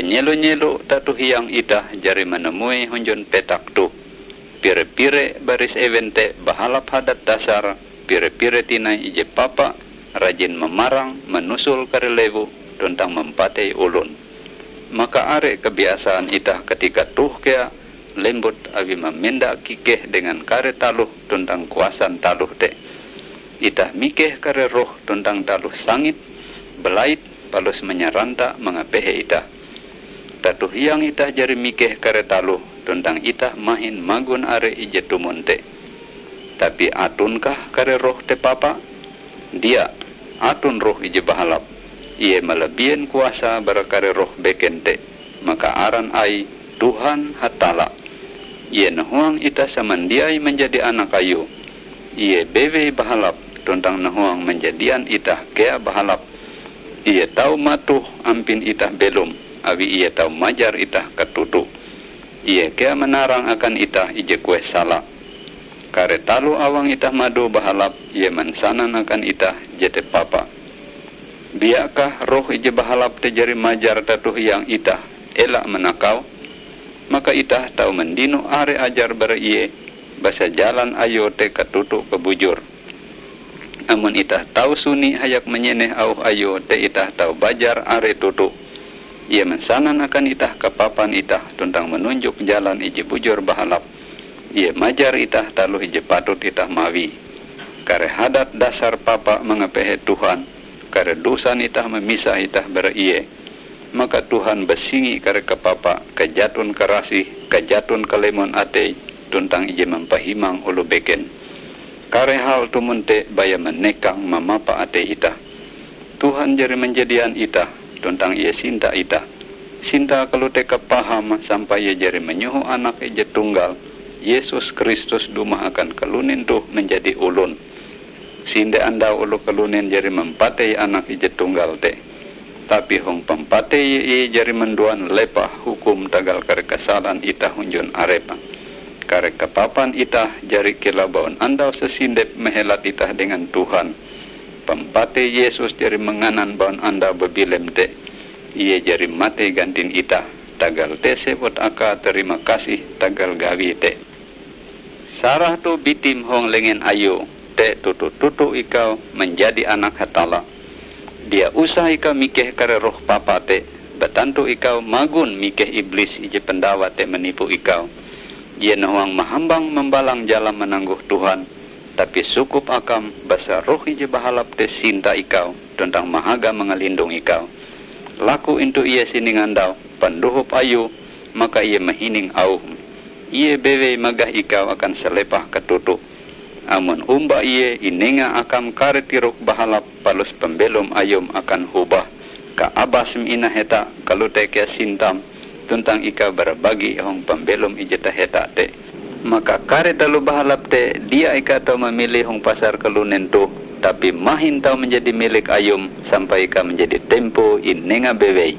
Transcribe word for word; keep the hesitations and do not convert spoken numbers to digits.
Nyelo-nyelo tatohiang itah jari manumoi hunjun petak toh. Pire-pire baris ewen te bahalap hadat dasar pire-pire tinai ije papa rajin mamarang, manusul kare lewu, tuntang mampatei olon. Maka are kebiasaan itah katika toh kea lembut awi mamenda kikeh dengan kare taloh tuntang kuasan taloh te. Itah mikeh kare roh tuntang taloh sangit, balait, palus manyaranta mangapehe itah. Tatohiang itah jari mikeh kare taloh tuntang itah mahin magon are ije tumon te. Tapi atonkah kare roh te papa? Dia, aton roh ije bahalap. Ie malabien kuasa bara kare roh beken te. Maka aran Aie Tuhan Hatalla. Ie nahuang itah samandiai manjadi anak Ayue. Ie bewei bahalap, tuntang nahuang manjadian itah kea bahalap. Ie tau matoh ampin itah belom, awi Ie tau majar itah katoto. Ie kea manarang akan itah ije kueh sala. Kare taloh awang itah mado bahalap, Ie mansanan akan itah jete papa. Diakah roh ije bahalap te jari majar tatohiang itah ela manakau? Maka itah tau mandino are ajar bara Ie, basa jalan Ayue te katoto kabujur. Amon itah tau suni hayak manyeneh auh Ayue te, itah tau bajar are toto. Ie mansanan akan itah kapapan itah tuntang manunjok jalan ije bujur bahalap. Ie majar itah taloh ije patut itah mawie. Kare hadat dasar papa mangapehe Tuhan, kare dosan itah mamisah itah bara Ie. Maka Tuhan basingi kare kapapa kajaton karasih, kajaton kalemon atei, tuntang ije mampahimang oloh beken. Kare hal tumon te baya manekang mamapa atei itah. Tuhan jari manjadian itah, tuntang Ie sinta itah. Sintae kalote kapaham sampai Ie jari manyoho Anake ije tunggal, Yesus Kristus, dumah akan kalunen toh manjadi olon. Sinde andau oloh kalunen jari mampatei Anak ije tunggal te. Tapi hong pampatei Ie, Ie jari manduan lepah hukum tagal kare kasalan itah hunjun Arepe. Kare kapapan itah jari kilau baun andau sasindep mahelat itah dengan Tuhan. Pampatei Yesus jari manganan baun andau babilem te. Ie jari matei gantin itah. Tagal te sewut akae tarima kasih tagal gawie te. Sarah toh bitim hong lengen Ayue te toto-toto ikau manjadi anak Hatalla. Dia usah ikau mikeh kare roh papa te, batantu ikau magon mikeh iblis ije pandawa te manipu ikau. Ie nahuang mahambang mambalang jalan mananggong Tuhan, tapi sukup akam basa roh ije bahalap te sinta ikau tuntang mahaga mangalindong ikau. Laku intu ie siningandau pandohop Ayue, maka ie mahining auhm. Ie bewei magah ikau akan salepah katoto. Amon omba ie inenga akam kare tirok bahalap palus pambelom ayum akan hobah, kaabasm inaheta, kalote kea sintam, tuntang ikau bara bagi hong pambelom ije taheta te. Maka kare taloh bahalap te dia ikau tau mamili hong pasar kalunen toh, tapi mahin tau manjadi milik ayum sampai ikau manjadi tempoe inenga bewei.